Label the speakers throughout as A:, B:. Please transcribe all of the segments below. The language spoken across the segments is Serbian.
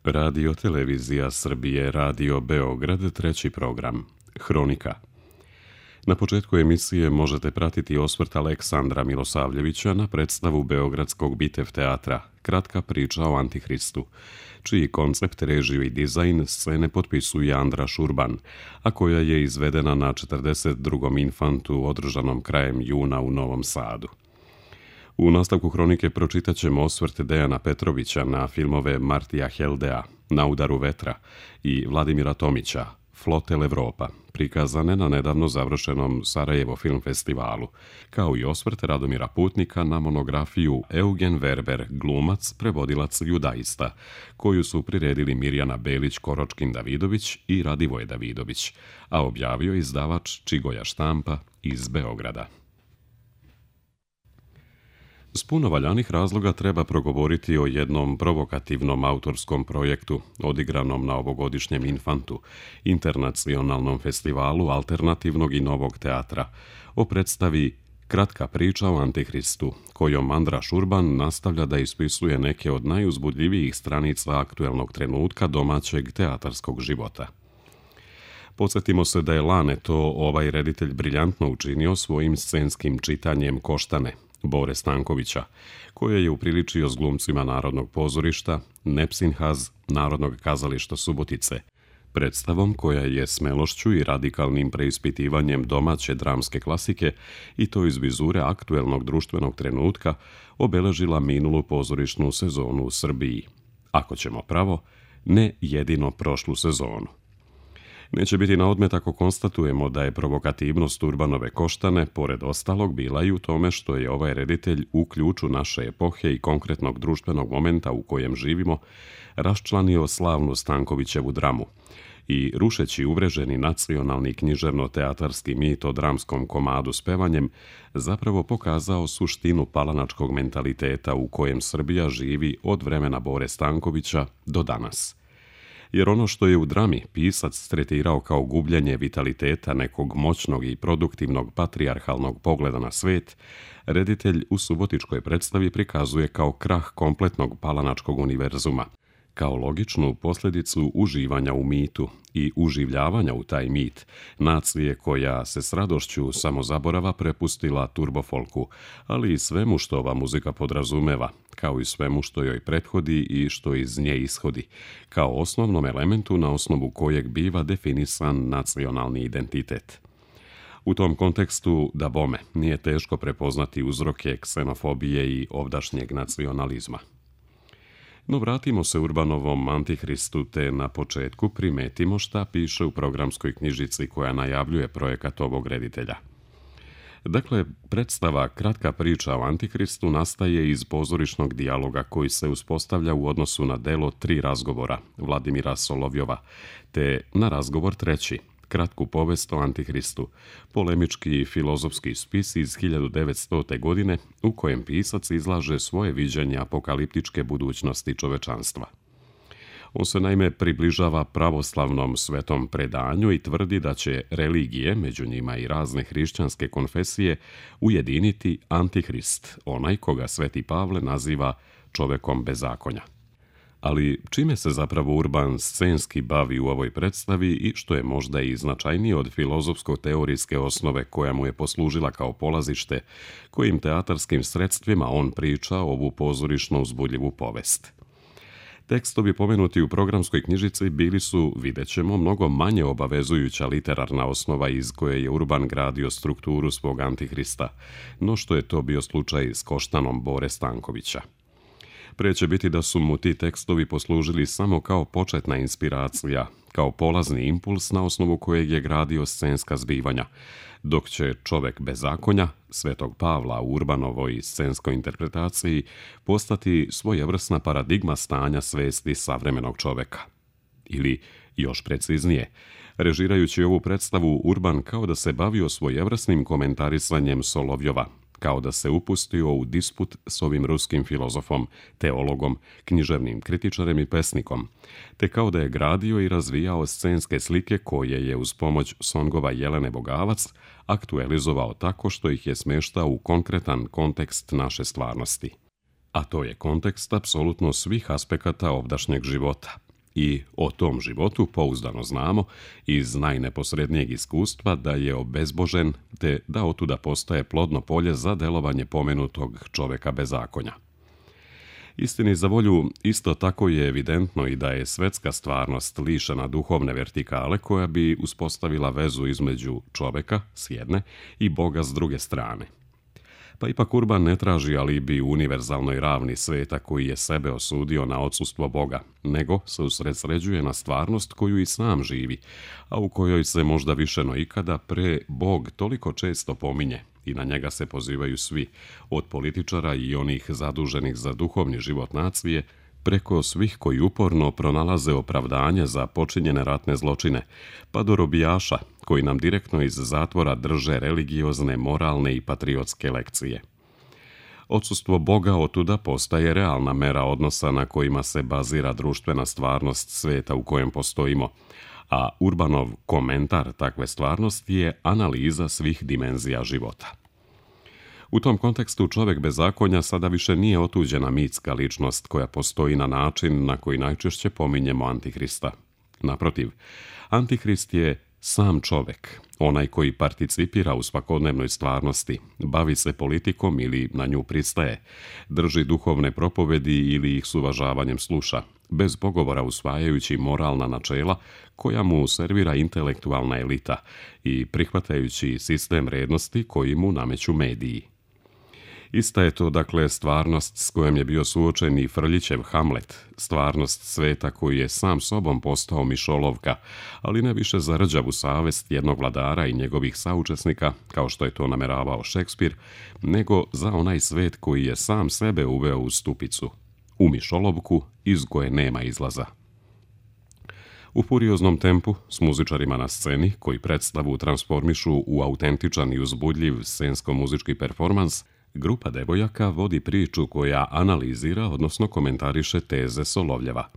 A: Radio Televizija Srbije, Radio Beograd, treći program. Hronika. Na početku emisije možete pratiti osvrt Aleksandra Milosavljevića na predstavu Beogradskog Bitev teatra Kratka priča o Antihristu, čiji koncept, režiju i dizajn scene potpisuje Andra Šurban, a koja je izvedena na 42. infantu održanom krajem juna u Novom Sadu. U nastavku hronike pročitat ćemo osvrt Dejana Petrovića na filmove Martija Heldea, Na udaru vetra i Vladimira Tomića, Flotel Evropa, prikazane na nedavno završenom Sarajevo film festivalu, kao i osvrt Radomira Putnika na monografiju Eugen Verber, glumac, prevodilac, judaista, koju su priredili Mirjana Belić-Koročkin-Davidović i Radivoje Davidović, a objavio izdavač Čigoja štampa iz Beograda. S puno valjanih razloga treba progovoriti o jednom provokativnom autorskom projektu odigranom na ovogodišnjem Infantu, internacionalnom festivalu alternativnog i novog teatra, o predstavi Kratka priča o Antihristu, kojom Andra Šurban nastavlja da ispisuje neke od najuzbudljivijih stranica aktuelnog trenutka domaćeg teatarskog života. Podsjetimo se da je lane to ovaj reditelj briljantno učinio svojim scenskim čitanjem Koštane, Bore Stankovića, koje je upriličio s glumcima Narodnog pozorišta, Nepsinhaz, Narodnog kazališta Subotice, predstavom koja je smelošću i radikalnim preispitivanjem domaće dramske klasike i to iz vizure aktuelnog društvenog trenutka obeležila minulu pozorišnu sezonu u Srbiji. Ako ćemo pravo, ne jedino prošlu sezonu. Neće biti na odmet ako konstatujemo da je provokativnost Urbanove Koštane, pored ostalog, bila i u tome što je ovaj reditelj u ključu naše epohe i konkretnog društvenog momenta u kojem živimo raščlanio slavnu Stankovićevu dramu i, rušeći uvreženi nacionalni književno-teatarski mit o dramskom komadu s pevanjem, zapravo pokazao suštinu palanačkog mentaliteta u kojem Srbija živi od vremena Bore Stankovića do danas. Jer ono što je u drami pisac tretirao kao gubljenje vitaliteta nekog moćnog i produktivnog patrijarhalnog pogleda na svet, reditelj u subotičkoj predstavi prikazuje kao krah kompletnog palanačkog univerzuma, kao logičnu posljedicu uživanja u mitu i uživljavanja u taj mit, nacije koja se s radošću samozaborava prepustila turbofolku, ali i svemu što ova muzika podrazumeva, kao i svemu što joj prethodi i što iz nje ishodi, kao osnovnom elementu na osnovu kojeg biva definisan nacionalni identitet. U tom kontekstu, da bome, nije teško prepoznati uzroke ksenofobije i ovdašnjeg nacionalizma. No vratimo se Urbanovom Antihristu te na početku primetimo šta piše u programskoj knjižici koja najavljuje projekat ovog reditelja. Dakle, predstava Kratka priča o Antihristu nastaje iz pozorišnog dijaloga koji se uspostavlja u odnosu na delo Tri razgovora Vladimira Solovjova, te na razgovor treći, Kratku povest o Antihristu, polemički filozofski spis iz 1900. godine u kojem pisac izlaže svoje viđenje apokaliptičke budućnosti čovečanstva. On se naime približava pravoslavnom svetom predanju i tvrdi da će religije, među njima i razne hrišćanske konfesije, ujediniti Antihrist, onaj koga Sveti Pavle naziva čovekom bezakonja. Ali čime se zapravo Urban scenski bavi u ovoj predstavi i što je možda i značajnije od filozofsko-teorijske osnove koja mu je poslužila kao polazište, kojim teatarskim sredstvima on priča ovu pozorišno uzbudljivu povest. Tekstovi pomenuti u programskoj knjižici bili su, vidjet ćemo, mnogo manje obavezujuća literarna osnova iz koje je Urban gradio strukturu svog Antihrista, no što je to bio slučaj s Koštanom Bore Stankovića. Pre će biti da su mu ti tekstovi poslužili samo kao početna inspiracija, kao polazni impuls na osnovu kojeg je gradio scenska zbivanja, dok će Čovek bezakonja, Svetog Pavla u Urbanovoj scenskoj interpretaciji, postati svojevrsna paradigma stanja svesti savremenog čoveka. Ili, još preciznije, režirajući ovu predstavu, Urban kao da se bavio svojevrsnim komentarisanjem Solovjova, kao da se upustio u disput s ovim ruskim filozofom, teologom, književnim kritičarem i pesnikom, te kao da je gradio i razvijao scenske slike koje je uz pomoć songova Jelene Bogavac aktualizovao tako što ih je smeštao u konkretan kontekst naše stvarnosti. A to je kontekst apsolutno svih aspekata ovdašnjeg života. I o tom životu pouzdano znamo iz najneposrednijeg iskustva da je obezbožen te da otuda postaje plodno polje za delovanje pomenutog čoveka bezakonja. Istini za volju, isto tako je evidentno i da je svetska stvarnost lišena duhovne vertikale koja bi uspostavila vezu između čoveka s jedne i Boga s druge strane. Pa ipak Urban ne traži alibi u univerzalnoj ravni sveta koji je sebe osudio na odsustvo Boga, nego se usredsređuje na stvarnost koju i sam živi, a u kojoj se možda više no ikada pre Bog toliko često pominje i na njega se pozivaju svi, od političara i onih zaduženih za duhovni život nacije, preko svih koji uporno pronalaze opravdanje za počinjene ratne zločine, pa do robijaša koji nam direktno iz zatvora drže religiozne, moralne i patriotske lekcije. Odsustvo Boga otuda postaje realna mera odnosa na kojima se bazira društvena stvarnost sveta u kojem postojimo, a Urbanov komentar takve stvarnosti je analiza svih dimenzija života. U tom kontekstu čovjek bezakonja sada više nije otuđena mitska ličnost koja postoji na način na koji najčešće pominjemo Antihrista. Naprotiv, Antihrist je sam čovjek, onaj koji participira u svakodnevnoj stvarnosti, bavi se politikom ili na nju pristaje, drži duhovne propovedi ili ih s uvažavanjem sluša, bez pogovora usvajajući moralna načela koja mu servira intelektualna elita i prihvatajući sistem vrijednosti koji mu nameću mediji. Ista je to, dakle, stvarnost s kojom je bio suočen i Frljićev Hamlet, stvarnost sveta koji je sam sobom postao mišolovka, ali ne više za rđavu savest jednog vladara i njegovih saučesnika, kao što je to nameravao Šekspir, nego za onaj svet koji je sam sebe uveo u stupicu, u mišolovku iz koje nema izlaza. U furioznom tempu, s muzičarima na sceni, koji predstavu transformišu u autentičan i uzbudljiv scensko-muzički performans, grupa devojaka vodi priču koja analizira, odnosno komentariše teze Solovljeva.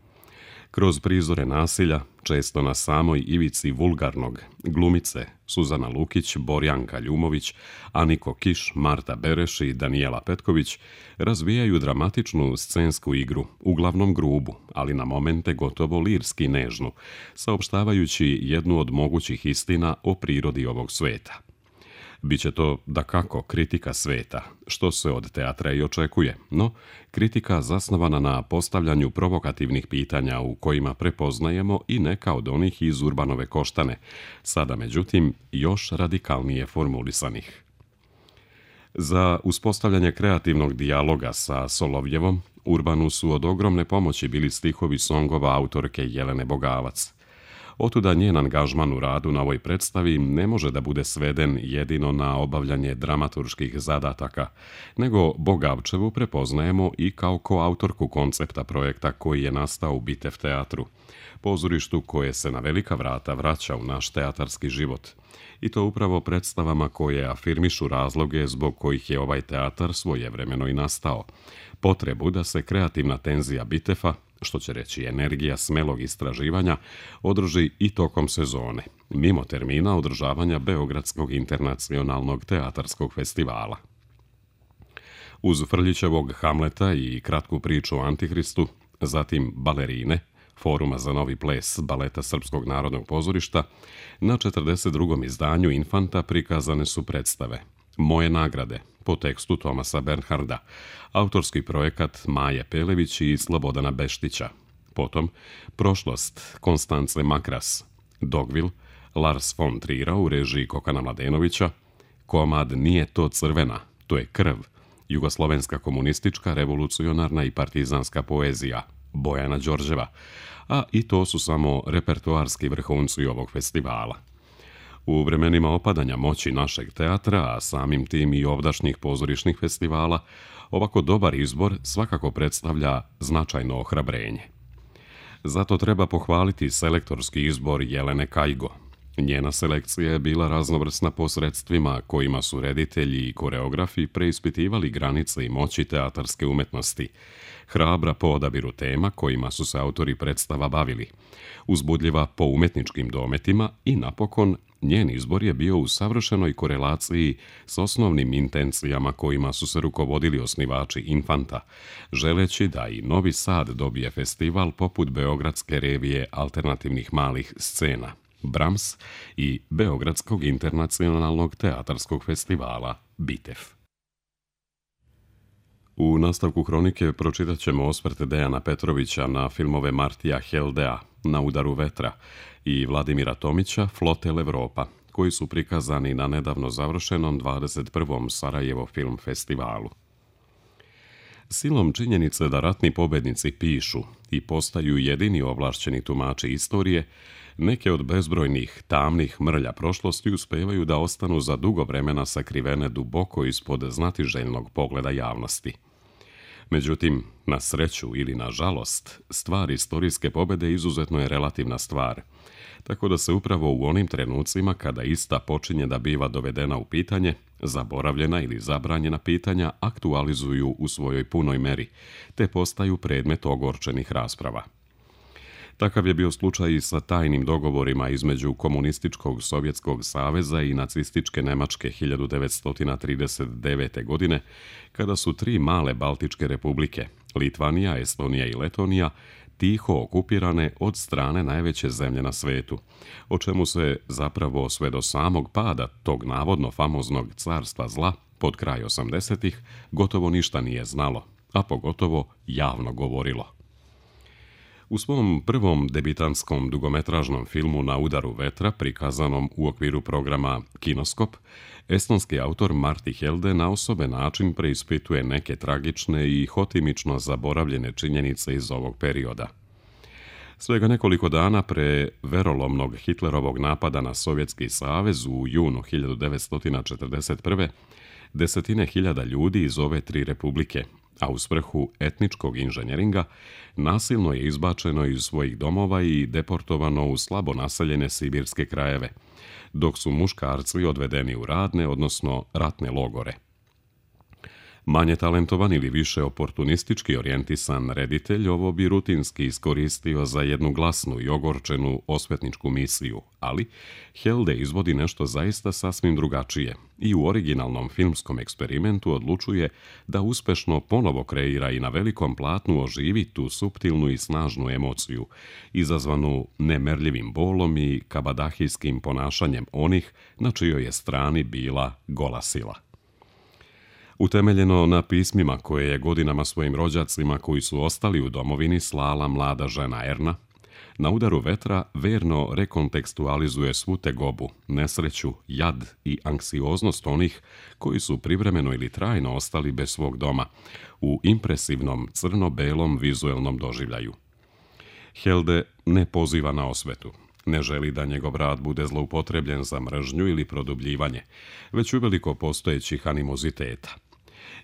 A: Kroz prizore nasilja, često na samoj ivici vulgarnog, glumice Suzana Lukić, Borjanka Ljumović, Aniko Kiš, Marta Bereš i Danijela Petković razvijaju dramatičnu scensku igru, uglavnom grubu, ali na momente gotovo lirski nežnu, saopštavajući jednu od mogućih istina o prirodi ovog sveta. Biće to, dakako, kritika sveta, što se od teatra i očekuje, no kritika zasnovana na postavljanju provokativnih pitanja u kojima prepoznajemo i neka od onih iz Urbanove koštane, sada međutim još radikalnije formulisanih. Za uspostavljanje kreativnog dijaloga sa Solovljevom, Urbanu su od ogromne pomoći bili stihovi songova autorke Jelene Bogavac. Otuda njen angažman u radu na ovoj predstavi ne može da bude sveden jedino na obavljanje dramaturških zadataka, nego Bogavčevu prepoznajemo i kao koautorku koncepta projekta koji je nastao u Bitev teatru, pozorištu koje se na velika vrata vraća u naš teatarski život. I to upravo predstavama koje afirmišu razloge zbog kojih je ovaj teatar svojevremeno i nastao. Potrebu da se kreativna tenzija Bitefa, što će reći energija smelog istraživanja, održi i tokom sezone, mimo termina održavanja Beogradskog internacionalnog teatarskog festivala. Uz Frljićevog Hamleta i kratku priču o Antihristu, zatim Balerine, Foruma za novi ples Baleta Srpskog narodnog pozorišta, na 42. izdanju Infanta prikazane su predstave Moje nagrade, po tekstu Tomasa Bernharda, autorski projekat Maje Pelević i Slobodana Beštića, potom Prošlost Konstance Makras, Dogvil, Lars von Trira u režiji Kokana Mladenovića, komad Nije to crvena, to je krv, jugoslovenska komunistička, revolucionarna i partizanska poezija, Bojana Đorđeva, a i to su samo repertoarski vrhunci ovog festivala. U vremenima opadanja moći našeg teatra, a samim tim i ovdašnjih pozorišnih festivala, ovako dobar izbor svakako predstavlja značajno ohrabrenje. Zato treba pohvaliti selektorski izbor Jelene Kajgo. Njena selekcija je bila raznovrsna po sredstvima kojima su reditelji i koreografi preispitivali granice i moći teatarske umetnosti, hrabra po odabiru tema kojima su se autori predstava bavili, uzbudljiva po umetničkim dometima i napokon njen izbor je bio u savršenoj korelaciji s osnovnim intencijama kojima su se rukovodili osnivači Infanta, želeći da i Novi Sad dobije festival poput Beogradske revije alternativnih malih scena, Brahms, i Beogradskog internacionalnog teatarskog festivala BITEF. U nastavku hronike pročitat ćemo osvrt Dejana Petrovića na filmove Martija Heldea Na udaru vetra i Vladimira Tomića Flotel Evropa, koji su prikazani na nedavno završenom 21. Sarajevo film festivalu. Silom činjenice da ratni pobednici pišu i postaju jedini ovlašćeni tumači istorije, neke od bezbrojnih tamnih mrlja prošlosti uspevaju da ostanu za dugo vremena sakrivene duboko ispod znatiželjnog pogleda javnosti. Međutim, na sreću ili na žalost, stvar istorijske pobede izuzetno je relativna stvar, tako da se upravo u onim trenucima kada ista počinje da biva dovedena u pitanje, zaboravljena ili zabranjena pitanja aktualizuju u svojoj punoj meri, te postaju predmet ogorčenih rasprava. Takav je bio slučaj i sa tajnim dogovorima između Komunističkog Sovjetskog saveza i nacističke Nemačke 1939. godine, kada su tri male baltičke republike, Litvanija, Estonija i Letonija, tiho okupirane od strane najveće zemlje na svetu, o čemu se zapravo sve do samog pada tog navodno famoznog carstva zla pod kraj 80-ih gotovo ništa nije znalo, a pogotovo javno govorilo. U svom prvom debitanskom dugometražnom filmu Na udaru vetra, prikazanom u okviru programa Kinoskop, estonski autor Martti Helde na osoben način preispituje neke tragične i hotimično zaboravljene činjenice iz ovog perioda. Svega nekoliko dana pre verolomnog Hitlerovog napada na Sovjetski savez u junu 1941. desetine hiljada ljudi iz ove tri republike, a u svrhu etničkog inženjeringa, nasilno je izbačeno iz svojih domova i deportovano u slabo naseljene sibirske krajeve, dok su muškarci odvedeni u radne, odnosno ratne logore. Manje talentovan ili više oportunistički orijentisan reditelj ovo bi rutinski iskoristio za jednu glasnu i ogorčenu osvetničku misiju, ali Helde izvodi nešto zaista sasvim drugačije i u originalnom filmskom eksperimentu odlučuje da uspešno ponovo kreira i na velikom platnu oživi tu suptilnu i snažnu emociju, izazvanu nemerljivim bolom i kabadahijskim ponašanjem onih na čijoj je strani bila gola sila. Utemeljeno na pismima koje je godinama svojim rođacima koji su ostali u domovini slala mlada žena Erna, Na udaru vetra verno rekontekstualizuje svu tegobu, nesreću, jad i anksioznost onih koji su privremeno ili trajno ostali bez svog doma, u impresivnom crno-belom vizuelnom doživljaju. Helde ne poziva na osvetu. Ne želi da njegov rad bude zloupotrebljen za mržnju ili produbljivanje, već uveliko postojećih animoziteta.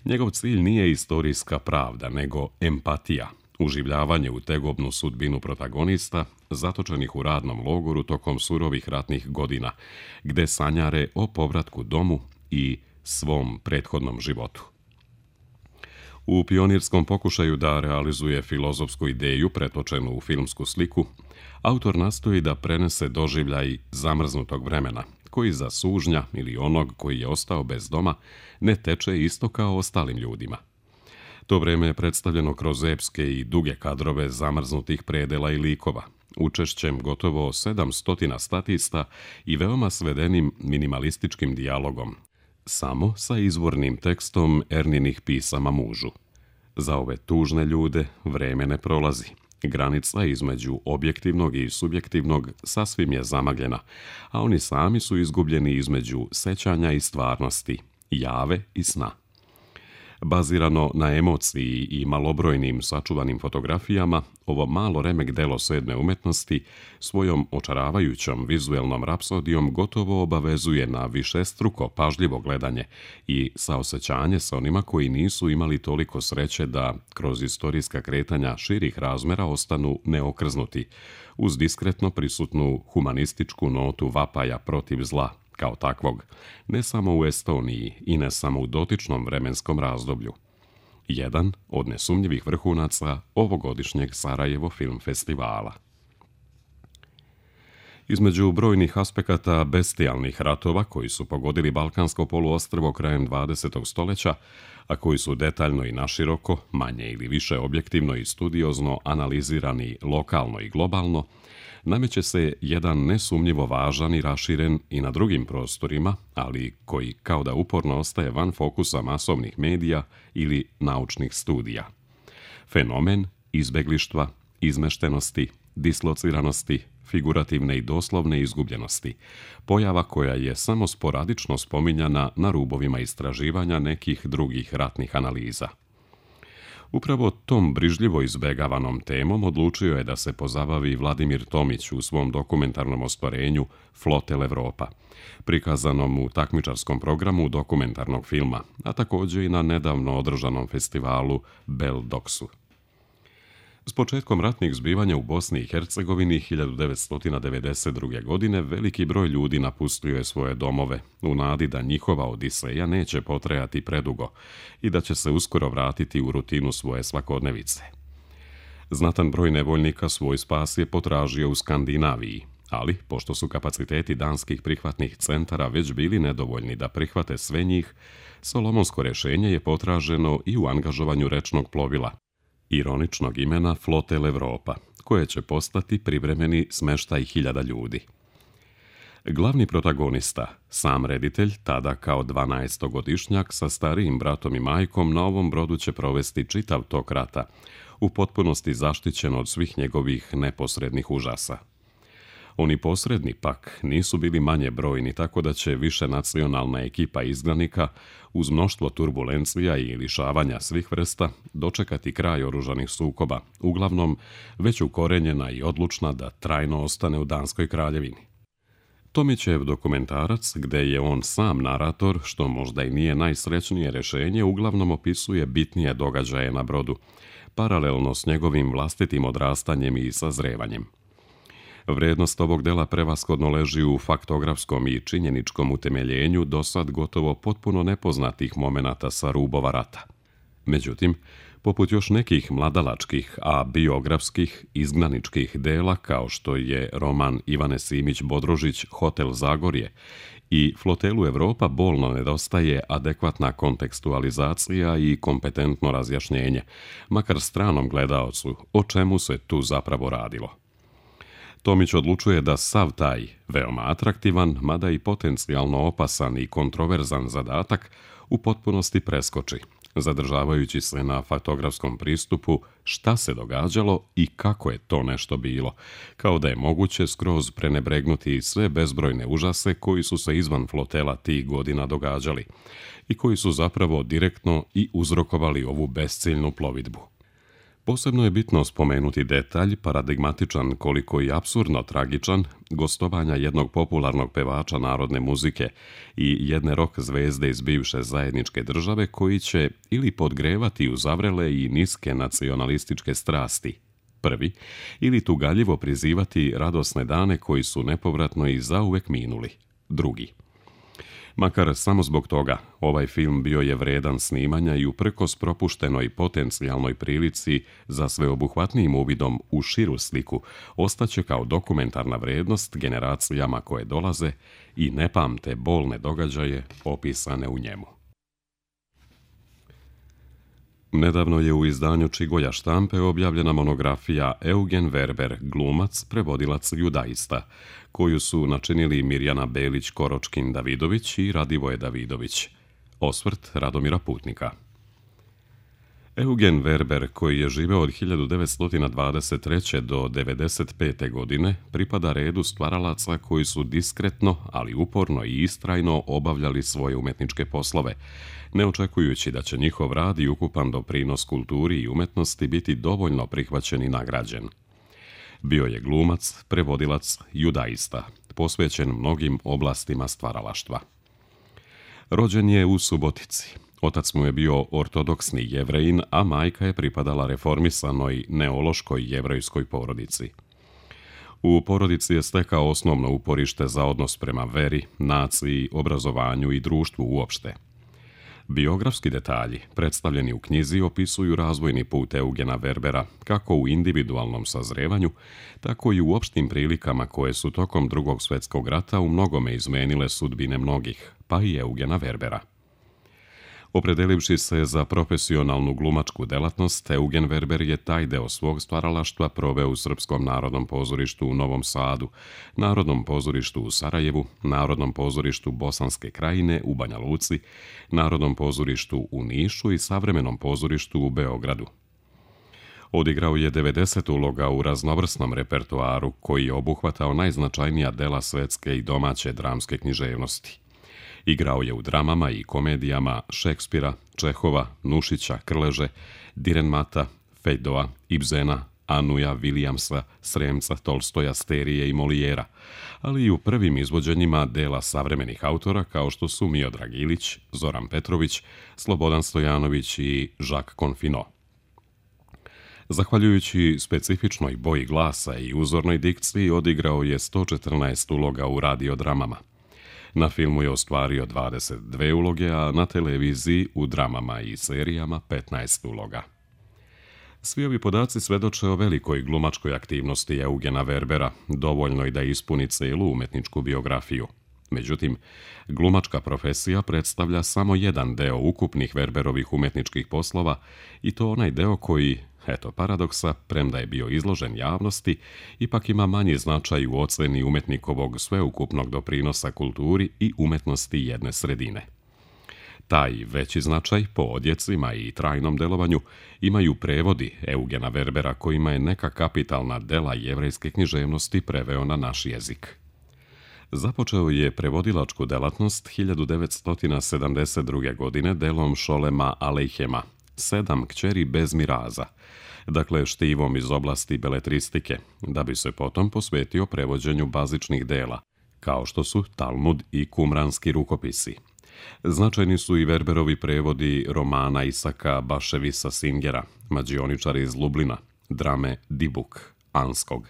A: Njegov cilj nije istorijska pravda, nego empatija, uživljavanje u tegobnu sudbinu protagonista, zatočenih u radnom logoru tokom surovih ratnih godina, gde sanjare o povratku domu i svom prethodnom životu. U pionirskom pokušaju da realizuje filozofsku ideju pretočenu u filmsku sliku, autor nastoji da prenese doživljaj zamrznutog vremena, koji za sužnja ili onog koji je ostao bez doma ne teče isto kao ostalim ljudima. To vreme je predstavljeno kroz epske i duge kadrove zamrznutih predela i likova, učešćem gotovo 700 statista i veoma svedenim minimalističkim dijalogom, samo sa izvornim tekstom Erninih pisama mužu. Za ove tužne ljude vreme ne prolazi. Granica između objektivnog i subjektivnog sasvim je zamagljena, a oni sami su izgubljeni između sećanja i stvarnosti, jave i sna. Bazirano na emociji i malobrojnim sačuvanim fotografijama, ovo malo remek delo sedme umetnosti svojom očaravajućom vizuelnom rapsodijom gotovo obavezuje na višestruko pažljivo gledanje i saosećanje sa onima koji nisu imali toliko sreće da kroz istorijska kretanja širih razmera ostanu neokrznuti, uz diskretno prisutnu humanističku notu vapaja protiv zla, kao takvog, ne samo u Estoniji i ne samo u dotičnom vremenskom razdoblju. Jedan od nesumnjivih vrhunaca ovogodišnjeg Sarajevo film festivala. Između brojnih aspekata bestijalnih ratova koji su pogodili Balkansko poluostrvo krajem 20. stoljeća, a koji su detaljno i naširoko, manje ili više objektivno i studiozno analizirani lokalno i globalno, nameće se jedan nesumnjivo važan i raširen i na drugim prostorima, ali koji kao da uporno ostaje van fokusa masovnih medija ili naučnih studija. Fenomen izbeglištva, izmeštenosti, dislociranosti, figurativne i doslovne izgubljenosti, pojava koja je samo sporadično spominjana na rubovima istraživanja nekih drugih ratnih analiza. Upravo tom brižljivo izbegavanom temom odlučio je da se pozabavi Vladimir Tomić u svom dokumentarnom ostvarenju Flotel Evropa, prikazanom u takmičarskom programu dokumentarnog filma, a također i na nedavno održanom festivalu Beldoksu. S početkom ratnih zbivanja u Bosni i Hercegovini 1992. godine veliki broj ljudi napustio je svoje domove u nadi da njihova odiseja neće potrajati predugo i da će se uskoro vratiti u rutinu svoje svakodnevice. Znatan broj nevoljnika svoj spas je potražio u Skandinaviji, ali pošto su kapaciteti danskih prihvatnih centara već bili nedovoljni da prihvate sve njih, solomonsko rješenje je potraženo i u angažovanju rečnog plovila, ironičnog imena Flotel Evropa, koje će postati privremeni smeštaj 1000 ljudi. Glavni protagonista, sam reditelj, tada kao 12-godišnjak sa starijim bratom i majkom, na ovom brodu će provesti čitav tok rata, u potpunosti zaštićen od svih njegovih neposrednih užasa. Oni posredni pak nisu bili manje brojni, tako da će višenacionalna ekipa izgnanika uz mnoštvo turbulencija i lišavanja svih vrsta dočekati kraj oružanih sukoba, uglavnom već ukorenjena i odlučna da trajno ostane u Danskoj kraljevini. Tomićev dokumentarac, gde je on sam narator, što možda i nije najsrećnije rješenje, uglavnom opisuje bitnije događaje na brodu, paralelno s njegovim vlastitim odrastanjem i sazrevanjem. Vrednost ovog dela prevashodno leži u faktografskom i činjeničkom utemeljenju dosad gotovo potpuno nepoznatih momenata sa rubova rata. Međutim, poput još nekih mladalačkih, a biografskih, izgnaničkih dela, kao što je roman Ivane Simić-Bodrožić Hotel Zagorje i Flotelu Evropa, bolno nedostaje adekvatna kontekstualizacija i kompetentno razjašnjenje, makar stranom gledaocu, o čemu se tu zapravo radilo. Tomić odlučuje da sav taj, veoma atraktivan, mada i potencijalno opasan i kontroverzan zadatak u potpunosti preskoči, zadržavajući se na fotografskom pristupu šta se događalo i kako je to nešto bilo, kao da je moguće skroz prenebregnuti sve bezbrojne užase koji su se izvan flotela tih godina događali i koji su zapravo direktno i uzrokovali ovu besciljnu plovidbu. Posebno je bitno spomenuti detalj, paradigmatičan koliko i apsurdno tragičan, gostovanja jednog popularnog pevača narodne muzike i jedne rock zvezde iz bivše zajedničke države koji će ili podgrevati uzavrele i niske nacionalističke strasti, prvi, ili tugaljivo prizivati radosne dane koji su nepovratno i zauvek minuli, drugi. Makar samo zbog toga, ovaj film bio je vredan snimanja i uprkos propuštenoj potencijalnoj prilici za sveobuhvatnijim uvidom u širu sliku ostaće kao dokumentarna vrednost generacijama koje dolaze i ne pamte bolne događaje opisane u njemu. Nedavno je u izdanju Čigolja štampe objavljena monografija Eugen Werber, glumac, prevodilac judaista, koju su načinili Mirjana Belić-Koročkin-Davidović i Radivoje Davidović. Osvrt Radomira Putnika. Eugen Werber, koji je živeo od 1923. do 1995. godine, pripada redu stvaralaca koji su diskretno, ali uporno i istrajno obavljali svoje umetničke poslove, ne očekujući da će njihov rad i ukupan doprinos kulturi i umetnosti biti dovoljno prihvaćen i nagrađen. Bio je glumac, prevodilac, judaista, posvećen mnogim oblastima stvaralaštva. Rođen je u Subotici. Otac mu je bio ortodoksni Jevrejin, a majka je pripadala reformisanoj neološkoj jevrejskoj porodici. U porodici je stekao osnovno uporište za odnos prema veri, naciji, obrazovanju i društvu uopšte. Biografski detalji, predstavljeni u knjizi, opisuju razvojni put Eugena Werbera, kako u individualnom sazrevanju, tako i u opštim prilikama koje su tokom Drugog svjetskog rata u mnogome izmenile sudbine mnogih, pa i Eugena Werbera. Opredelivši se za profesionalnu glumačku delatnost, Eugen Werber je taj deo svog stvaralaštva proveo u Srpskom narodnom pozorištu u Novom Sadu, Narodnom pozorištu u Sarajevu, Narodnom pozorištu Bosanske Krajine u Banja Luci, Narodnom pozorištu u Nišu i Savremenom pozorištu u Beogradu. Odigrao je 90 uloga u raznovrsnom repertoaru koji je obuhvatao najznačajnija dela svetske i domaće dramske književnosti. Igrao je u dramama i komedijama Šekspira, Čehova, Nušića, Krleže, Direnmata, Fejdoa, Ibzena, Anuja, Vilijamsa, Sremca, Tolstoja, Sterije i Molijera, ali i u prvim izvođenjima dela savremenih autora kao što su Miodrag Ilić, Zoran Petrović, Slobodan Stojanović i Jacques Confino. Zahvaljujući specifičnoj boji glasa i uzornoj dikciji, odigrao je 114 uloga u radiodramama. Na filmu je ostvario 22 uloge, a na televiziji u dramama i serijama 15 uloga. Svi ovi podaci svedoče o velikoj glumačkoj aktivnosti Eugena Werbera, dovoljno i da ispuni celu umetničku biografiju. Međutim, glumačka profesija predstavlja samo jedan deo ukupnih Werberovih umetničkih poslova i to onaj deo koji, eto paradoksa, premda je bio izložen javnosti, ipak ima manji značaj u oceni umetnikovog sveukupnog doprinosa kulturi i umetnosti jedne sredine. Taj veći značaj po odjecima i trajnom delovanju imaju prevodi Eugena Werbera kojima je neka kapitalna dela jevrejske književnosti preveo na naš jezik. Započeo je prevodilačku delatnost 1972. godine delom Šolema Alejhema, 7 kćeri bez miraza, dakle štivom iz oblasti beletristike, da bi se potom posvetio prevođenju bazičnih dela, kao što su Talmud i kumranski rukopisi. Značajni su i Werberovi prevodi romana Isaka Baševisa Singera, Mađioničar iz Lublina, drame Dibuk, Anskog.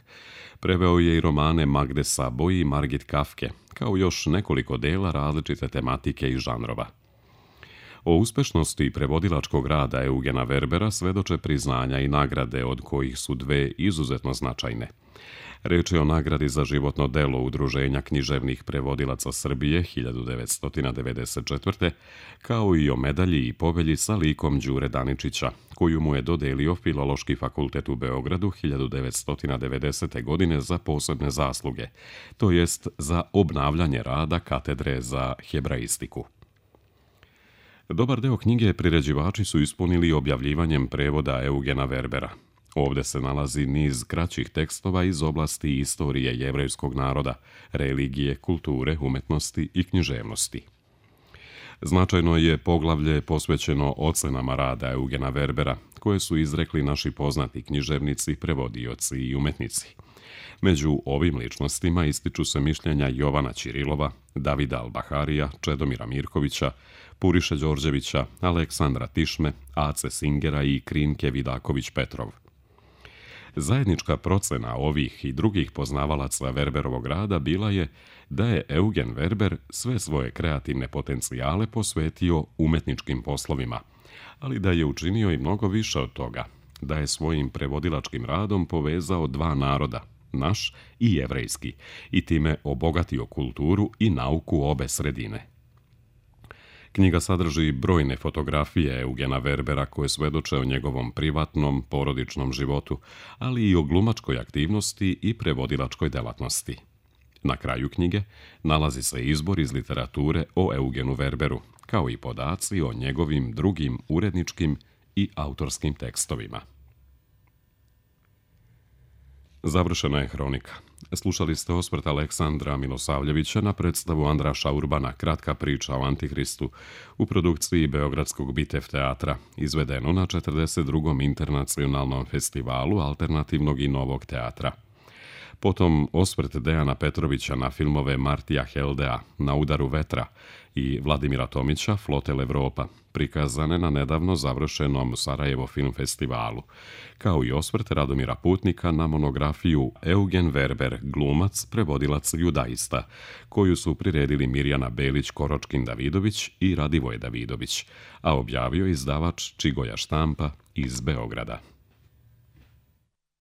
A: Preveo je i romane Magde Sabo i Margit Kafke, kao još nekoliko dela različite tematike i žanrova. O uspešnosti prevodilačkog rada Eugena Werbera svedoče priznanja i nagrade, od kojih su dve izuzetno značajne. Reč je o nagradi za životno delo Udruženja književnih prevodilaca Srbije 1994. kao i o medalji i povelji sa likom Đure Daničića, koju mu je dodelio Filološki fakultet u Beogradu 1990. godine za posebne zasluge, to jest za obnavljanje rada katedre za hebraistiku. Dobar deo knjige priređivači su ispunili objavljivanjem prevoda Eugena Werbera. Ovde se nalazi niz kraćih tekstova iz oblasti istorije jevrejskog naroda, religije, kulture, umetnosti i književnosti. Značajno je poglavlje posvećeno ocenama rada Eugena Werbera, koje su izrekli naši poznati književnici, prevodioci i umetnici. Među ovim ličnostima ističu se mišljenja Jovana Ćirilova, Davida Albaharija, Čedomira Mirkovića, Puriše Đorđevića, Aleksandra Tišme, Ace Singera i Krinke Vidaković-Petrov. Zajednička procena ovih i drugih poznavalaca Werberovog rada bila je da je Eugen Werber sve svoje kreativne potencijale posvetio umetničkim poslovima, ali da je učinio i mnogo više od toga, da je svojim prevodilačkim radom povezao dva naroda, naš i jevrejski, i time obogatio kulturu i nauku obe sredine. Knjiga sadrži brojne fotografije Eugena Werbera koje svedoče o njegovom privatnom, porodičnom životu, ali i o glumačkoj aktivnosti i prevodilačkoj delatnosti. Na kraju knjige nalazi se izbor iz literature o Eugenu Werberu, kao i podaci o njegovim drugim uredničkim i autorskim tekstovima. Završena je hronika. Slušali ste osvrt Aleksandra Milosavljevića na predstavu Andraša Urbana Kratka priča o Antihristu u produkciji Beogradskog Bitev teatra, izvedeno na 42. internacionalnom festivalu alternativnog i novog teatra. Potom osvrt Dejana Petrovića na filmove Martija Heldea Na udaru vetra i Vladimira Tomića Flotel Evropa, prikazane na nedavno završenom Sarajevo film festivalu, kao i osvrt Radomira Putnika na monografiju Eugen Verber, glumac, prevodilac judaista, koju su priredili Mirjana Belić-Koročkin-Davidović i Radivoje Davidović, a objavio izdavač Čigoja štampa iz Beograda.